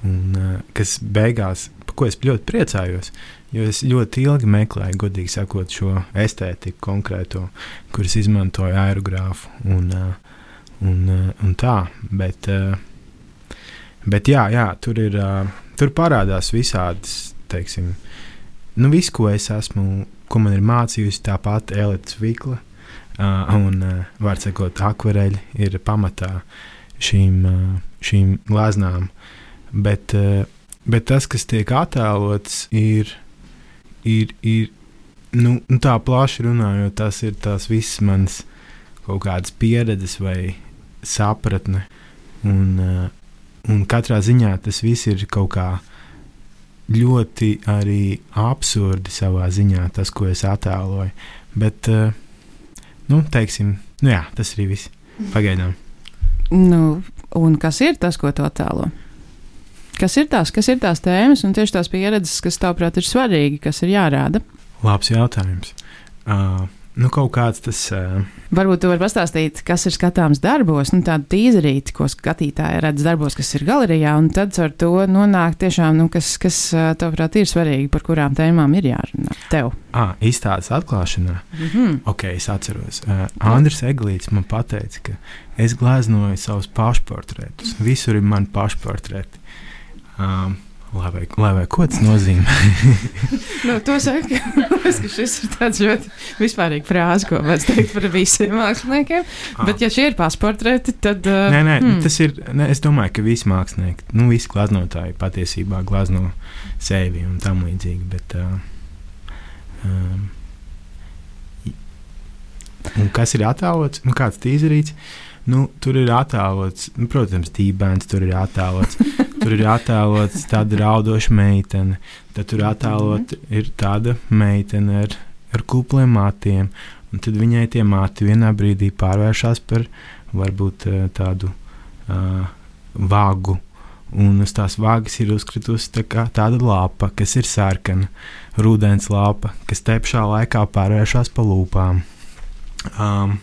un, uh, kas beigās, par ko es ļoti priecājos, jo es ļoti ilgi meklēju, godīgi sakot, šo estētiku konkrēto, kuras izmantoju aerogrāfu un, uh, un, uh, un tā, bet, uh, bet jā, jā, tur ir, uh, tur parādās visādas, teiksim, nu viss, ko es esmu, ko man ir mācījusi tāpat Elita Vikla, Uh, un, uh, var sakot, akvareļi ir pamatā šīm, uh, šīm gleznām, bet, uh, bet tas, kas tiek attēlots, ir, ir, ir nu, nu tā plaši runājot, tas ir tās visas manas kaut kādas pieredzes vai sapratne, un, uh, un katrā ziņā tas viss ir kaut kā ļoti arī absurdi savā ziņā, tas, ko es attēloju, bet uh, nu, teiksim, nu jā, tas arī viss. Pagaidām. Nu, un kas ir tas, ko tu attēlo? Kas ir tās, kas ir tās tēmas un tieši tās pieredzes, kas tavuprāt ir svarīgi, kas ir jārāda? Labs jautājums. Uh, nu, kaut kāds tas... Uh... Varbūt tu vari pastāstīt, kas ir skatāms darbos, nu tādu tīzerīti, ko skatītāji redz darbos, kas ir galerijā, un tad ar to nonāk tiešām, nu, kas, kas tavuprāt ir svarīgi, par kurām tēmām ir jārunā tev. Ah, izstādes atklāšanā? Mm-hmm. Ok, es atceros. Uh, Andris Eglīts man pateica, ka es gleznoju savus pašportretus. Visur ir mani pašportreti. Um, Lai vai, lai vai ko tas nozīmē? Nu, to saka, ka šis ir tāds ļoti vispārīgi frāze, ko vajadz teikt par visiem māksliniekiem. Ah. Bet, ja šie ir pašportreti, tad... Uh, nē, nē, hmm. tas ir... Nē, es domāju, ka visi mākslinieki, nu, visi gleznotāji patiesībā glezno sevi un tam līdzīgi, bet... Uh, Um, un kas ir attēlots? Nu, kāds tīzerīts? Nu, tur ir attēlots, nu, protams, dībēns, tur ir attēlots. Tur ir attēlots tāda raudoša meitene. Tad tur attēlot mm-hmm. ir tāda meitene ar, ar kupliem matiem. Un tad viņai tie mati vienā brīdī pārvēršas par varbūt tādu uh, vagu. Un uz tās vagas ir uzkritusi tā kā tāda lapa, kas ir sarkana, rudens lapa, kas te pašā laikā pārvēršas pa lūpām. Um,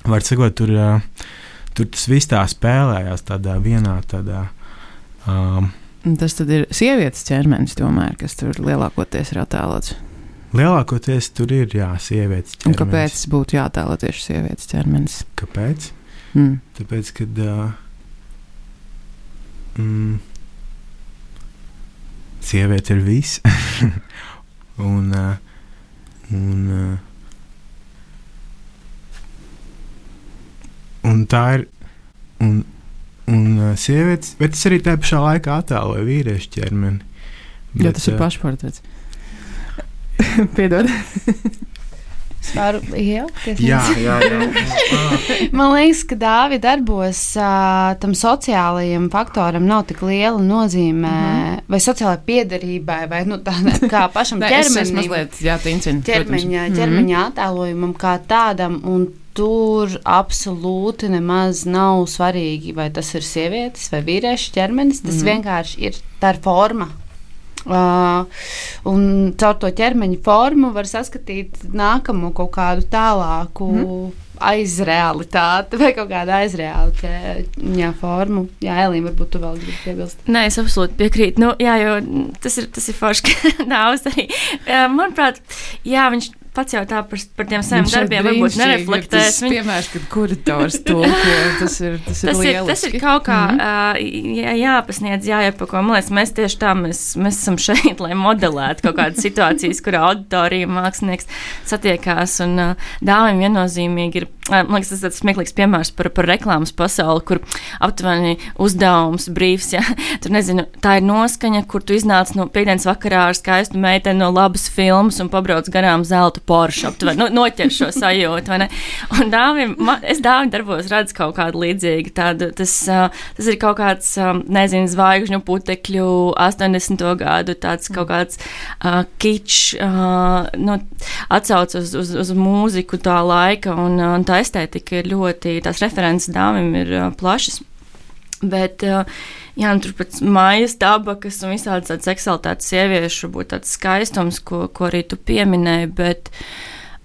Var sakot, tur, uh, tur tas viss tā spēlējās tādā vienā tādā. Um, tas tad ir sievietes ķermenis, tomēr, kas tur lielākoties ir attēlots. Lielākoties tur ir, jā, sievietes ķermenis. Un kāpēc būtu jātēlo tieši sievietes ķermenis? Kāpēc? Mm. Tāpēc, kad uh, mm, sieviete ir viss. un, uh, un uh, Un tā ir. Un, un uh, sievietes, bet es arī tajā pašā laikā attēloju vīriešu ķermeni. Bet, Jā, tas ir pašportrets. Piedod. Es varu iejaukties. Jā, jā, jā. Man liekas, ka Dāvi darbos uh, tam sociālajiem faktoram nav tik liela nozīme, mm-hmm. vai sociālai piederībai, vai nu, tā, kā pašam ķermenim. Ķermeņa, ķermeņa mm-hmm. attēlojumam kā tādam, un tur absolūti nemaz nav svarīgi, vai tas ir sievietes vai vīriešu ķermenis. Tas mm-hmm. vienkārši ir tā forma. Uh, un caur to ķermeņa formu var saskatīt nākamo kaut kādu tālāku mm. aizrealitāti vai kaut kādu aizrealitāti formu. Jā, Elīna, varbūt tu vēl gribi piebilst. Nē, es absolūti piekrītu. Nu, jā, jo tas ir, tas ir forši, ka Dāvis arī. Manuprāt, jā, viņš pats jau tā par, par tiem saviem darbiem varbūt nereflektēs. Tas ir piemērs, kad kurators tulko, tas ir, tas ir tas lieliski. Ir, tas ir kaut kā mm-hmm. uh, jā, jāpasniedz, jāiepako. Man liekas, mēs tieši tā, mēs, mēs esam šeit, lai modelētu kaut kādas situācijas, kur auditorija mākslinieks satiekās. Un uh, Dāvim viennozīmīgi ir, uh, man liekas, tas ir tāds smieklīgs piemērs par, par reklāmas pasauli, kur aptuveni uzdevums, brīvs, ja, tur nezinu, tā ir noskaņa, kur tu iznāc no piekdienas vakarā ar skaistu meiteni no labas filmas un pabrauc garām zelta Porsche, aptuveni, no, noķer šo sajūtu, vai ne? Un Dāvim, man, es Dāvim darbos redzu kaut kādu līdzīgu tādu, tas, uh, tas ir kaut kāds, um, nezinu, zvaigžņu putekļu astoņdesmito gadu, tāds kaut kāds uh, kičs, uh, nu, atsauc uz, uz, uz mūziku tā laika, un, un tā estētika ir ļoti, tās references Dāvim ir uh, plašas. Bet, uh, jā, nu, tur pēc mājas tabakas un visādi tāds seksualitātes sieviešu būtu tāds skaistums, ko, ko arī tu pieminēji, bet,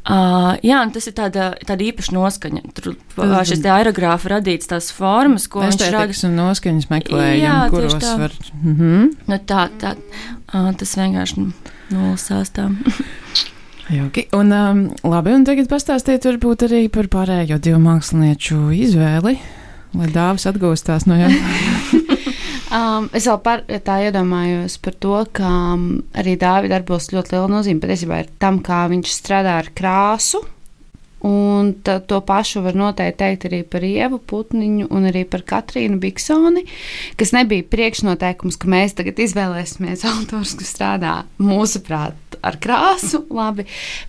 uh, jā, nu, tas ir tāda, tāda īpaša noskaņa. Tur uh, šis te aerogrāfa radīts tās formas, ko viņš rada. Estētikas un noskaņas meklējumi, kuros tā. Var... Mm-hmm. Nu, tā, tā, uh, tas vienkārši nolasās tā. Jauki. Un, um, labi, un tagad pastāstiet varbūt arī par pārējo divu mākslinieču izvēli. Lai Dāvis atgūstās no jauna. um, es vēl par, tā iedomājos par to, ka um, arī Dāvi darbos ļoti liela nozīme patiesībā ir tam, kā viņš strādā ar krāsu. Un ta, to pašu var noteikti teikt arī par Ievu Putniņu un arī par Katrīnu Biksoni, kas nebija priekšnoteikums, ka mēs tagad izvēlēsimies autors, kas strādā mūsuprāt ar krāsu, labi,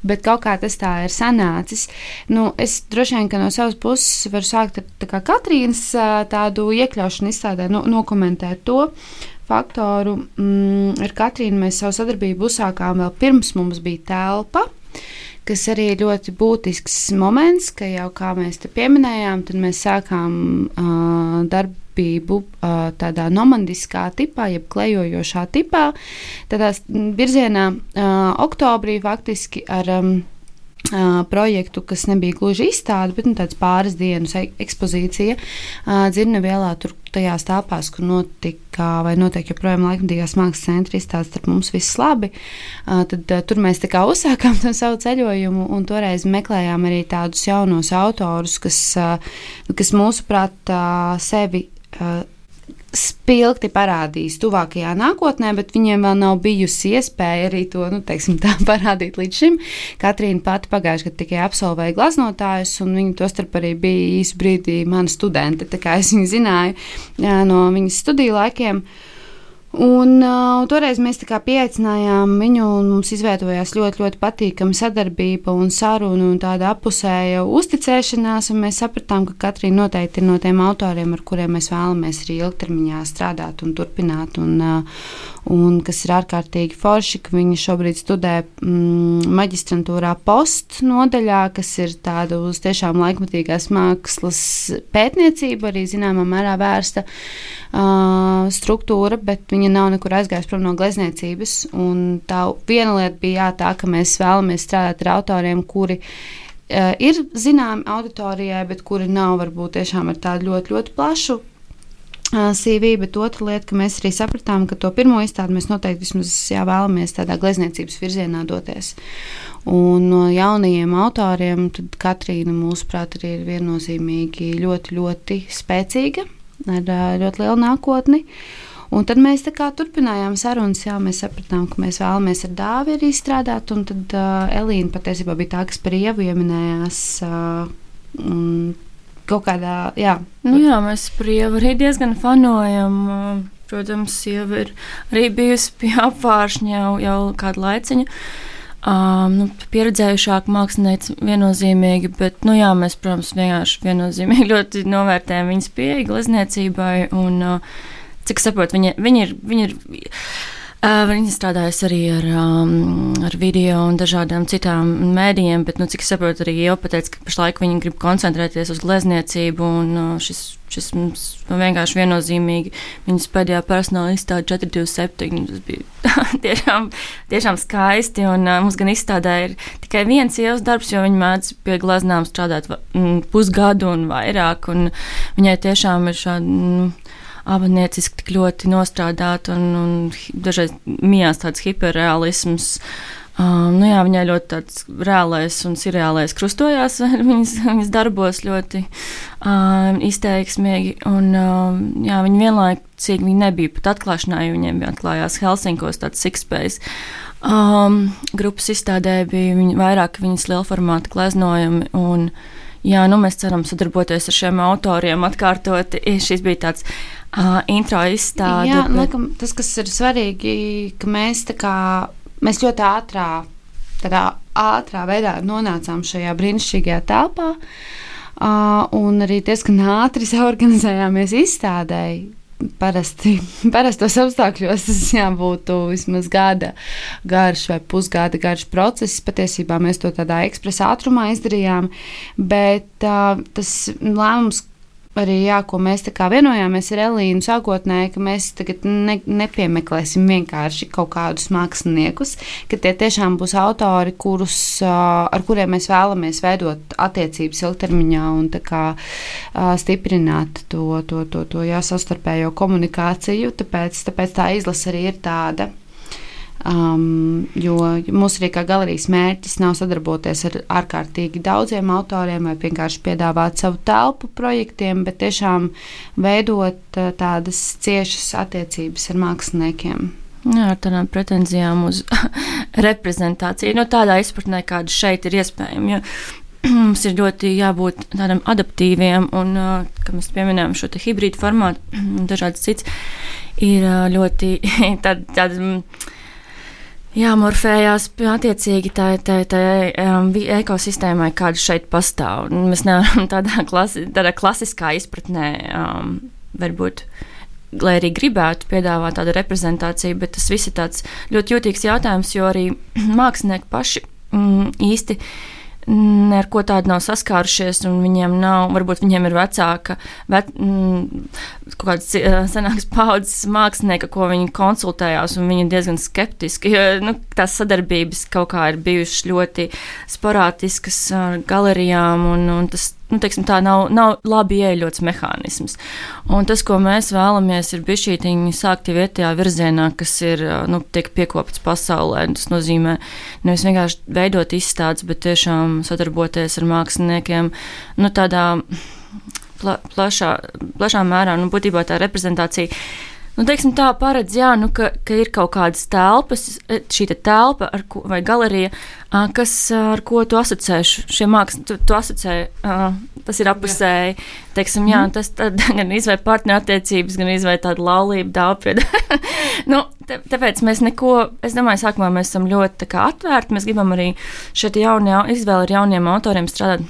bet kaut kā tas tā ir sanācis. Nu, es droši vien, ka no savas puses varu sākt ar tā kā Katrīnas tādu iekļaušanu izstādē, no, nokomentēt to faktoru. Mm, ar Katrīnu mēs savu sadarbību uzsākām vēl pirms mums bija telpa, kas arī ir ļoti būtisks moments, ka jau kā mēs te pieminējām, tad mēs sākām uh, darbību uh, tādā nomandiskā tipā, jeb klejojošā tipā, tādā virzienā uh, oktobrī faktiski ar um, uh, projektu, kas nebija gluži izstāde, bet nu, tāds pāris dienas ekspozīcija uh, Dzirnevielā, tur tajās telpās, kur notika vai notiek joprojām laikmatīgās mākslas centra izstādes, starp mums viss labi. Uh, tad uh, tur mēs tā kā uzsākām to savu ceļojumu un toreiz meklējām arī tādus jaunos autorus, kas, uh, kas mūsuprāt uh, sevi uh, spilgti parādīs tuvākajā nākotnē, bet viņiem vēl nav bijusi iespēja arī to, nu, teiksim tā, parādīt līdz šim. Katrīna pati pagājuši, kad tikai absolvēja glaznotājus, un viņa tostarp arī bija īsu brīdī mana studente, tā kā es viņu zināju jā, no viņas studiju laikiem. Un uh, toreiz mēs tā kā pieaicinājām viņu, un mums izveidojās ļoti, ļoti patīkama sadarbība un saruna un tāda apusēja uzticēšanās, un mēs sapratām, ka Katrīna noteikti ir no tiem autoriem, ar kuriem mēs vēlamies arī ilgtermiņā strādāt un turpināt, un, uh, un kas ir ārkārtīgi forši, ka viņa šobrīd studē mm, maģistrantūrā post nodaļā, kas ir tāda uz tiešām laikmatīgās mākslas pētniecība, arī zināmā mērā vērsta uh, struktūra, bet viņa nav nekur aizgājusi prom no glezniecības. Un tā viena lieta bija jā, tā, ka mēs vēlamies strādāt ar autoriem, kuri uh, ir zināmi auditorijai, bet kuri nav varbūt tiešām ar tādu ļoti, ļoti plašu uh, C V, bet otra lieta, ka mēs arī sapratām, ka to pirmo izstādi mēs noteikti vismaz jā, vēlamies tādā glezniecības virzienā doties. Un no jaunajiem autoriem tad Katrīna, mūsuprāt, arī ir viennozīmīgi ļoti, ļoti spēcīga, ar uh, ļoti lielu nākotni. Un tad mēs tā kā turpinājām sarunas, jā, mēs sapratām, ka mēs vēlamies ar Dāvi arī strādāt, un tad uh, Elīna patiesībā bija tā, kas par Ievu ieminējās uh, un kaut kādā, jā. Nu jā, mēs par Ievu arī diezgan fanojam, protams, Ieva ir arī bijusi pie apvāršņa jau, jau kādu laiciņu. Um, nu, pieredzējušāk mākslinieci viennozīmīgi, bet, nu jā, mēs, protams, vienkārši viennozīmīgi ļoti novērtējam viņas pieeja glezniecībai, un uh, cik saprotu, viņa, viņa ir, viņa ir, uh, viņa strādājas arī ar, um, ar video un dažādām citām mēdījiem, bet, nu, cik saprotu, arī jau pateica, ka pašlaik viņa grib koncentrēties uz glezniecību, un uh, šis, šis mums vienkārši viennozīmīgi viņas pēdējā personāla izstāde četri divi septiņi, tas bija tiešām, tiešām skaisti, un uh, mums gan izstādē ir tikai viens ievas darbs, jo viņa mēdz pie gleznām strādāt mm, pusgadu un vairāk, un viņai tiešām ir šādi, mm, abanieciski tik ļoti nostrādāt, un, un dažreiz mijās tāds hiperrealisms. Um, nu jā, viņai ļoti tāds reālais un sirreālais krustojās viņas, viņas darbos ļoti um, izteiksmīgi, un um, jā, viņa vienlaicīgi viņa nebija pat atklāšanā, jo viņiem bija atklājās Helsinkos tāds Sixpace. Um, grupas izstādē bija viņa, vairāk viņas lielformāta gleznojumi, un jā, nu mēs ceram sadarboties ar šiem autoriem atkārtot. Šis bija tāds uh, intro izstāde. Jā, bet... laikam, tas, kas ir svarīgi, ka mēs tā kā, mēs ļoti ātrā, tādā ātrā veidā nonācām šajā brīnišķīgajā telpā, uh, un arī diezgan ātri saorganizējāmies izstādēji. Parasti, parastos apstākļos tas jābūt vismaz gada garš vai pusgada garš process. Patiesībā mēs to tādā ekspresa ātrumā izdarījām, bet uh, tas lēmums arī, jā, ko mēs tā kā vienojāmies ar Elīnu sākotnēji, ka mēs tagad ne, nepiemeklēsim vienkārši kaut kādus māksliniekus, ka tie tiešām būs autori, kurus, ar kuriem mēs vēlamies veidot attiecības ilgtermiņā un tā kā stiprināt to, to, to, to jā, savstarpējo komunikāciju, tāpēc, tāpēc tā izlase arī ir tāda. Um, jo mūsu arī kā galerijas mērķis nav sadarboties ar ārkārtīgi daudziem autoriem vai vienkārši piedāvāt savu telpu projektiem, bet tiešām veidot uh, tādas ciešas attiecības ar māksliniekiem. Jā, ar tādām pretenzijām uz reprezentāciju, no tādā izpratnē, kāda šeit ir iespējama, jo mums ir ļoti jābūt tādam adaptīviem, un, uh, kā mēs pieminējām šo te hibrīdu formātu, dažādas cits, ir uh, ļoti tāda, tāda jāmorfējās attiecīgi tā, tā, tā um, ekosistēmai, kāda šeit pastāv. Mēs nevaram tādā, klasi, tādā klasiskā izpratnē, um, varbūt, lai arī gribētu piedāvāt tādu reprezentāciju, bet tas viss ir tāds ļoti jūtīgs jautājums, jo arī mākslinieki paši mm, īsti ar ko tādu nav saskārušies, un viņiem nav, varbūt viņiem ir vecāka, vet, mm, kaut kāds senāks paudzes mākslinieka, ko viņi konsultējās, un viņi ir diezgan skeptiski, jo, nu, tās sadarbības kaut kā ir bijušas ļoti sporātiskas ar galerijām, un, un tas, nu, teiksim, tā nav, nav labi ieļots mehānisms. Un tas, ko mēs vēlamies, ir bišķītiņi sākt jau iet tajā virzienā, kas ir, nu, tiek piekopts pasaulē. Tas nozīmē nevis vienkārši veidot izstādes, bet tiešām sadarboties ar māksliniekiem, nu, tādā pla, plašā, plašā mērā, nu, būtībā tā reprezentācija Nu, teiksim, tā paredz, jā, nu, ka, ka ir kaut kādas telpas, šī te telpa ar ko, vai galerija, kas, ar ko tu asociē šie mākslas, tu, tu asociē, tas ir apusēji, teiksim, jā, tas tad gan izvēl partnerattiecības, gan izvēl tādu laulību dāvpiedu. Nu, te, tāpēc mēs neko, es domāju, sākumā mēs esam ļoti tā kā atvērti, mēs gribam arī šeit jaunie, izvēli ar jauniem autoriem strādāt.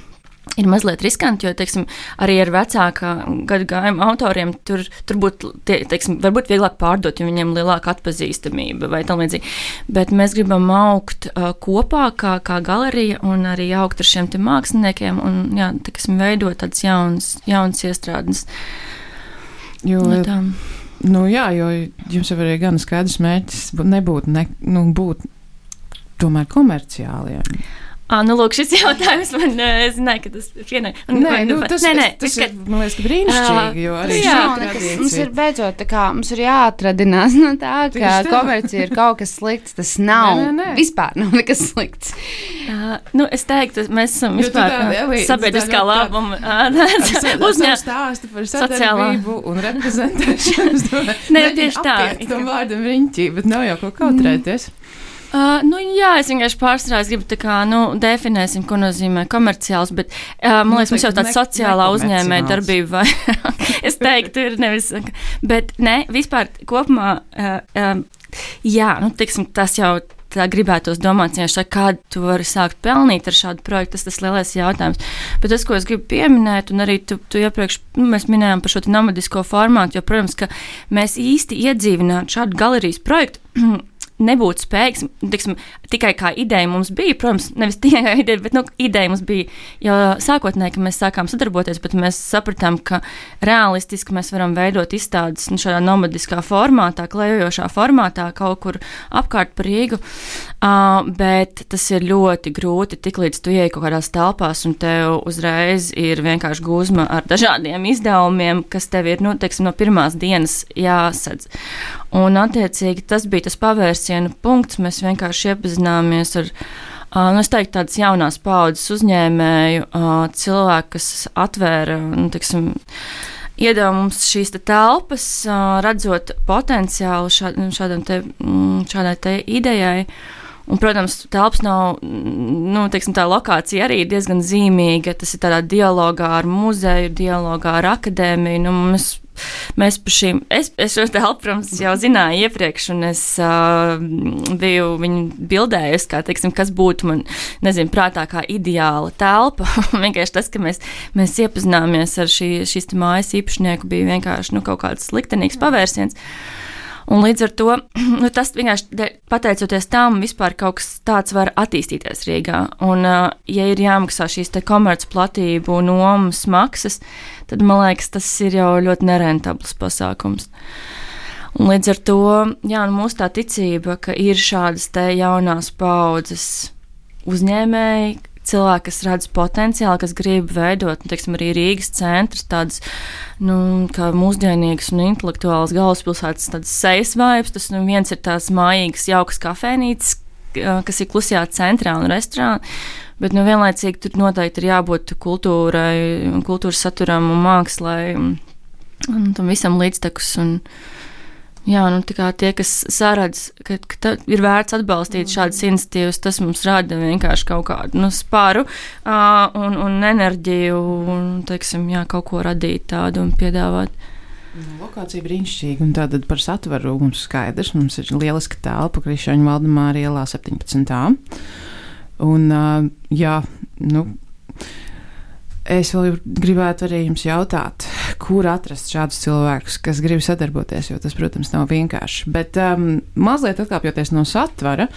Ir mazliet riskanti, jo, teiksim, arī ar vecākā gadu gājuma autoriem tur, tur būtu, tie, teiksim, varbūt vieglāk pārdot, jo viņiem lielāka atpazīstamība vai tam līdzīgi. Bet mēs gribam augt uh, kopā kā, kā galerija un arī augt ar šiem te māksliniekiem un, jā, teiksim, veidot tādas jaunas, jaunas iestrādes. Jo, no nu jā, jo jums jau arī gan skaidrs mērķis nebūtu, ne, nu, būt tomēr komerciāli, jā. Ah, nu, lūk, šis jautājums man, es zināju, ka tas ir vienai. Nē, nu, tas, nē, nē, tas ir, man liekas, brīnišķīgi, jo arī jā, nekas, mums ir beidzot tā kā, mums ir jāatradinās no tā, ka komercija ir kaut kas slikts, tas nav, nē, nē, nē. Vispār nav nekas slikts. Uh, nu, es teiktu, mēs esam vispār sabiedriskā labuma uzņēmums stāstu par sadarbību un reprezentēšanu. Nē, tieši tā. Tam vārdam riņķī, bet nav jau ko kautrēties. Uh, nu, jā, es vienkārši pārstrāju, es gribu tā kā, nu, definēsim, ko nozīmē komerciāls, bet, uh, man liekas, mums jau tāda sociālā uzņēmēja darbība, vai es teiktu, ir nevis, bet, ne, vispār kopumā, uh, uh, jā, nu, tiksim, tas jau tā gribētos domāt, ja kādu tu vari sākt pelnīt ar šādu projektu, tas tas lielais jautājums. Bet tas, ko es gribu pieminēt, un arī tu, tu iepriekš, nu, mēs minējām par šo nomadisko formātu, jo, protams, ka mēs īsti iedzīvināt šādu galerijas projektu, nebūtu spējīgs, tiksim, tikai kā ideja mums bija, protams, nevis tikai kā ideja, bet, nu, ideja mums bija jau sākotnēji, ka mēs sākām sadarboties, bet mēs sapratām, ka realistiski mēs varam veidot izstādes, nu, šādā nomadiskā formātā, klejojošā formātā, kaut kur apkārt par Rīgu, uh, bet tas ir ļoti grūti, tik līdz tu ieej kaut kādās telpās, un tev uzreiz ir vienkārši gūzma ar dažādiem izdevumiem, kas tev ir, nu, teiksim, no pirmās dienas jāsadz. Un, attiecīgi, tas bija tas pavērsienu punkts, mēs vienkārši iepazināmies ar, uh, nu, es teiktu, tādas jaunās paudzes uzņēmēju, uh, cilvēku, kas atvēra, nu, teiksim, iedeva mums šīs te telpas, uh, redzot potenciālu šād, šādam te, šādai te idejai. Un, protams, telpas nav, nu, teiksim, tā lokācija arī ir diezgan zīmīga, tas ir tādā dialogā ar muzeju, dialogā ar akadēmiju, nu, mēs Mēs par šīm, es, es šo telpu, protams, jau zināju iepriekš, un es uh, biju viņu bildējusi, kā, teiksim, kas būtu man, nezinu, prātā kā ideāla telpa. Vienkārši tas, ka mēs, mēs iepazināmies ar šī, šīs mājas īpašnieku, bija vienkārši, nu, kaut kāds liktenīgs pavērsiens. Un līdz ar to, nu, tas vienkārši pateicoties tam, vispār kaut kas tāds var attīstīties Rīgā. Un, uh, ja ir jāmaksā šīs te komercplatību nomas maksas, tad, man liekas, tas ir jau ļoti nerentabls pasākums. Un līdz ar to, jā, nu, mūsu tā ticība, ka ir šādas te jaunās paudzes uzņēmēji, cilvēki, kas redz potenciālu, kas grib veidot, nu, teiksim, arī Rīgas centrs, tādas, nu, kā mūsdienīgas un intelektuālas galvaspilsētas, tādas sejas vibes, tas, nu, viens ir tās mājīgas, jaukas kafēnītes, kas ir klusajā centrā un restorāna, bet, nu, vienlaicīgi tur noteikti ir jābūt kultūrai, kultūras saturam un mākslai, un, un tam visam līdztekus, un, jā, nu, tā kā tie, kas saredz, ka, ka ir vērts atbalstīt šādas iniciatīvas, tas mums rada vienkārši kaut kādu, nu, spāru uh, un, un enerģiju, un, teiksim, jā, kaut ko radīt tādu un piedāvāt. Lokācija brīnišķīga, un tātad par satvaru mums skaidrs, mums ir lieliska telpa Krišāņu Valdemāra ielā septiņpadsmitā. Un, uh, jā, nu, es vēl gribētu arī jums jautāt, kur atrast šādus cilvēkus, kas grib sadarboties, jo tas, protams, nav vienkārši. Bet um, mazliet atkāpjoties no satvara,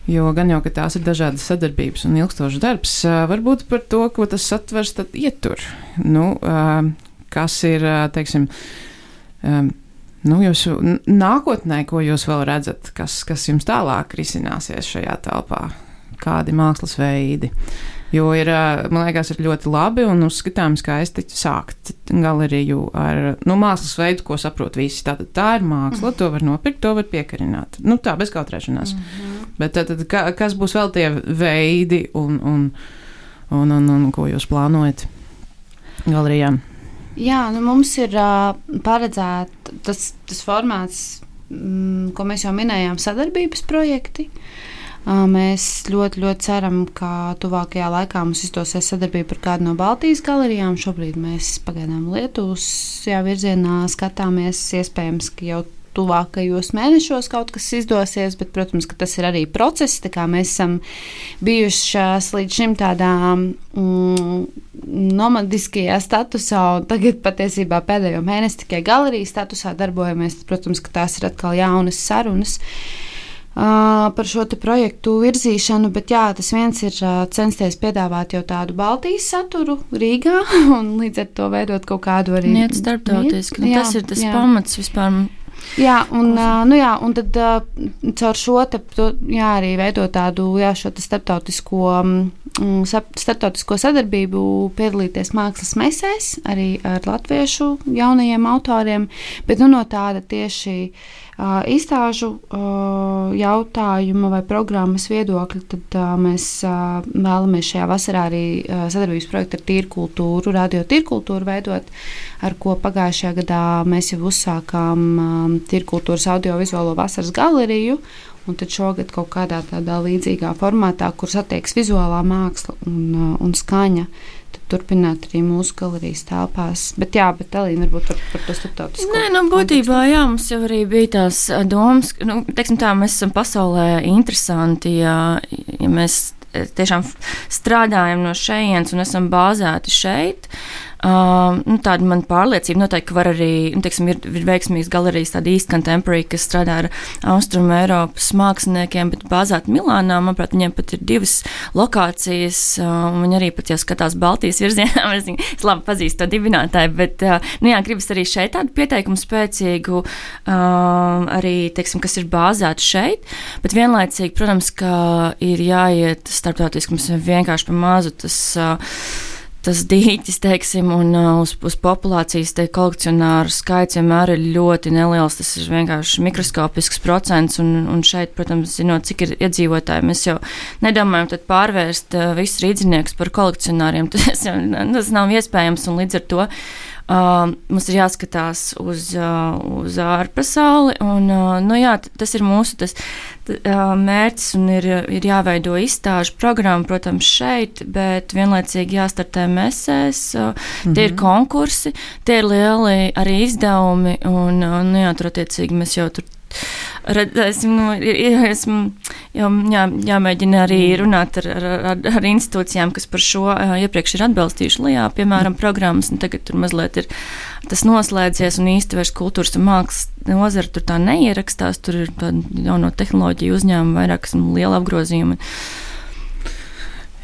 jo gan jau, ka tās ir dažādas sadarbības un ilgstošs darbs, uh, varbūt par to, ko tas satvers tad ietur. Nu, uh, kas ir, uh, teiksim, um, nu, jūsu nākotnē, ko jūs vēl redzat, kas, kas jums tālāk risināsies šajā telpā? Kādi mākslas veidi? Jo ir, man liekas, ir ļoti labi un uzskatām skaisti sākt galeriju ar, nu, mākslas veidu, ko saprot visi. Tātad tā ir māksla, to var nopirkt, to var piekarināt. Nu, tā, bez kautrēšanās. Mm-hmm. Bet tātad, ka, kas būs vēl tie veidi un, un, un, un, un ko jūs plānojat galerijām? Jā, nu mums ir uh, paredzēta tas, tas formāts, mm, ko mēs jau minējām, sadarbības projekti. Uh, mēs ļoti, ļoti ceram, ka tuvākajā laikā mums izdosies sadarbība ar kādu no Baltijas galerijām. Šobrīd mēs pagaidām Lietuvas jā, virzienā skatāmies, iespējams, ka jau tuvākajos mēnešos kaut kas izdosies, bet, protams, ka tas ir arī process. Tā kā mēs esam bijušas līdz šim tādā mm, nomadiskajā statusā, un tagad patiesībā pēdējo mēnesi tikai galerijas statusā darbojamies. Protams, ka tās ir atkal jaunas sarunas uh, par šo te projektu virzīšanu, bet jā, tas viens ir uh, censties piedāvāt jau tādu Baltijas saturu Rīgā, un līdz ar to veidot kaut kādu arī... Niet starptautiski, nu, tas ir tas jā. Pamats vispār... Jā, un, uh, nu jā, un tad uh, caur šo te, to, jā, arī veidot tādu jā, šo te starptautisko, um, starptautisko sadarbību, piedalīties mākslas mesēs, arī ar latviešu jaunajiem autoriem, bet nu, no tāda tieši uh, izstāžu uh, jautājuma vai programmas viedokļa, tad uh, mēs uh, vēlamies šajā vasarā arī uh, sadarbības projektu ar tīrkultūru, radio tīrkultūru veidot, ar ko pagājušajā gadā mēs jau uzsākām um, tīrkultūras audiovizuālo vasaras galeriju, un tad šogad kaut kādā tādā līdzīgā formātā, kur satieks vizuālā māksla un, uh, un skaņa, tad turpināt arī mūsu galerijas telpās. Bet jā, bet Elīna varbūt par, par to starptautisko. Nē, nu būtībā jā, mums jau arī bija tās domas, nu, teiksim tā, mēs esam pasaulē interesanti, ja, ja mēs tiešām strādājam no šejienes un esam bāzēti šeit. Uh, nu, tāda man pārliecība noteikti var arī, nu, teiksim, ir, ir veiksmīgas galerijas, tāda East Contemporary, kas strādā ar Austrumu Eiropas māksliniekiem, bet bāzēt Milānā, manuprāt, viņiem pat ir divas lokācijas, uh, un viņi arī pat jau skatās Baltijas virzienā, es, es labi pazīstu to dibinātāju, bet, uh, nu jā, gribas arī šeit tādu pieteikumu spēcīgu, uh, arī, teiksim, kas ir bāzēti šeit, bet vienlaicīgi, protams, ka ir jāiet starptautiski, mums vienkārši pa mazu tas, uh, tas dīķis, teiksim, un uh, uz, uz populācijas te kolekcionāru skaits vienmēr ir ļoti neliels, tas ir vienkārši mikroskopisks procents, un, un šeit, protams, zinot, cik ir iedzīvotāji, mēs jau nedomājam tad pārvērst uh, visus rīdziniekus par kolekcionāriem, tas, tas nav iespējams, un līdz ar to Uh, mums ir jāskatās uz, uh, uz ārpasauli, un uh, nu jā, tas ir mūsu tas, t, uh, mērķis, un ir, ir jāveido izstāžu programma, protams, šeit, bet vienlaicīgi jāstartē mesēs, uh, mm-hmm. tie ir konkursi, tie ir lieli arī izdevumi, un uh, nu jā, tur attiecīgi mēs jau tur redzēsim, nu, esmu jā, jā, jāmēģina arī runāt ar, ar, ar, ar institūcijām, kas par šo uh, iepriekš ir atbalstījuši Lijā, piemēram, programmas, un tagad tur mazliet ir tas noslēdzies, un īsti vairs kultūras un mākslas nozara tur tā neierakstās, tur ir tāda jauno tehnoloģiju uzņēmuma, vairāk liela apgrozījuma.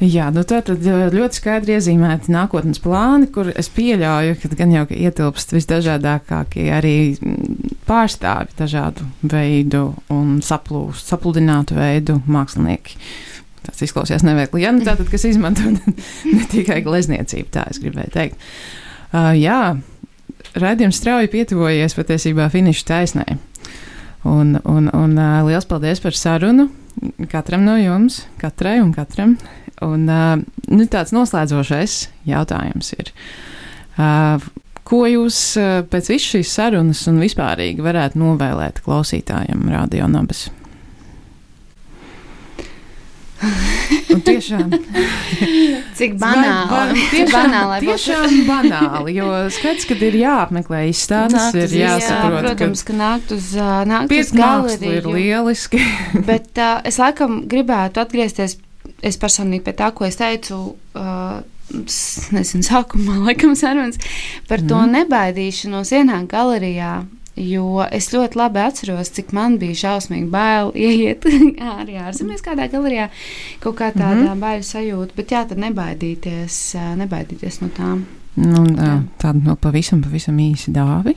Jā, nu tā tad ļoti skaidri iezīmēti nākotnes plāni, kur es pieļauju, ka gan jau ka ietilpst visdažādākākie arī pārstāvi dažādu veidu un saplūst, sapludinātu veidu mākslinieki. Tas izklausījās neveikli. Jā, nu tā tad, kas izmanto ne tikai glezniecību, tā es gribēju teikt. Uh, jā, raidījums strauji pietuvojies patiesībā finiša taisnē. Un, un, un uh, liels paldies par sarunu katram no jums, katrai un katram. Un, uh, nu, tāds noslēdzošais jautājums ir, uh, ko jūs uh, pēc visas šīs sarunas un vispārīgi varētu novēlēt klausītājiem Radio Nabas? Un tiešām cik banāli, var, tiešām, banāli tiešām banāli, jo skaidrs, kad ir jāapmeklē izstādes, ir jāsaprot, jā, protams, ka, ka nākt uz, nākt uz galeriju ir lieliski. Bet uh, es laikam gribētu atgriezties, es personīgi pie tā, ko es teicu, uh, nezinu, sākumā laikam sarunas, par to mm. nebaidīšanos ienākt galerijā. Jo es ļoti labi atceros, cik man bija šausmīgi bail ieiet arī ārzemēs kādā galerijā, kaut kā tādā mm-hmm. baila sajūta, bet jā, tad nebaidīties, nebaidīties no tām. Nu, tāda no pavisam, pavisam īsi dāvi.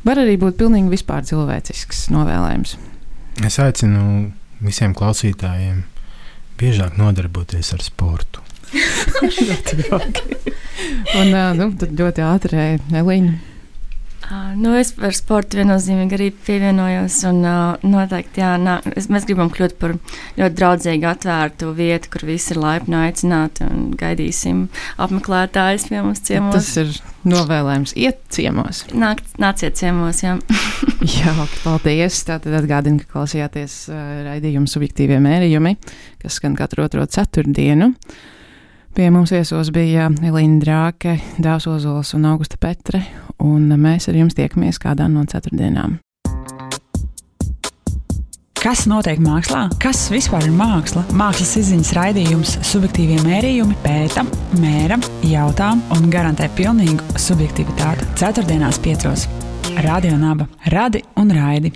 Var arī būt pilnīgi vispār cilvēcisks novēlējums. Es aicinu visiem klausītājiem biežāk nodarboties ar sportu. Un nu, tad ļoti ātri, Elīna. Uh, nu, es par sportu viennozīmīgi arī pievienojos. Un, uh, noteikti, jā, nā, es, mēs gribam kļūt par ļoti draudzīgu, atvērtu vietu, kur visi ir laipni aicināti un gaidīsim apmeklētājus pie mums ciemos. Tas ir novēlējums iet ciemos. Nāk, nāciet ciemos, jā. Jā, paldies. Tātad atgādinu, ka klausījāties uh, raidījumu subjektīvie mērījumi, kas skan katru otro ceturtdienu. Pie mums viesos bija Elīna Drāke, Dāvs Ozols un Augusta Petre, un mēs ar jums tiekamies kādā no ceturtdienām. Kas notiek mākslā? Kas vispār ir māksla? Mākslas izziņas raidījums subjektīvie mērījumi pēta, mēra, jautā un garantē pilnīgu subjektivitāti. Ceturtdienās piecos. Radio Naba. Radi un raidi.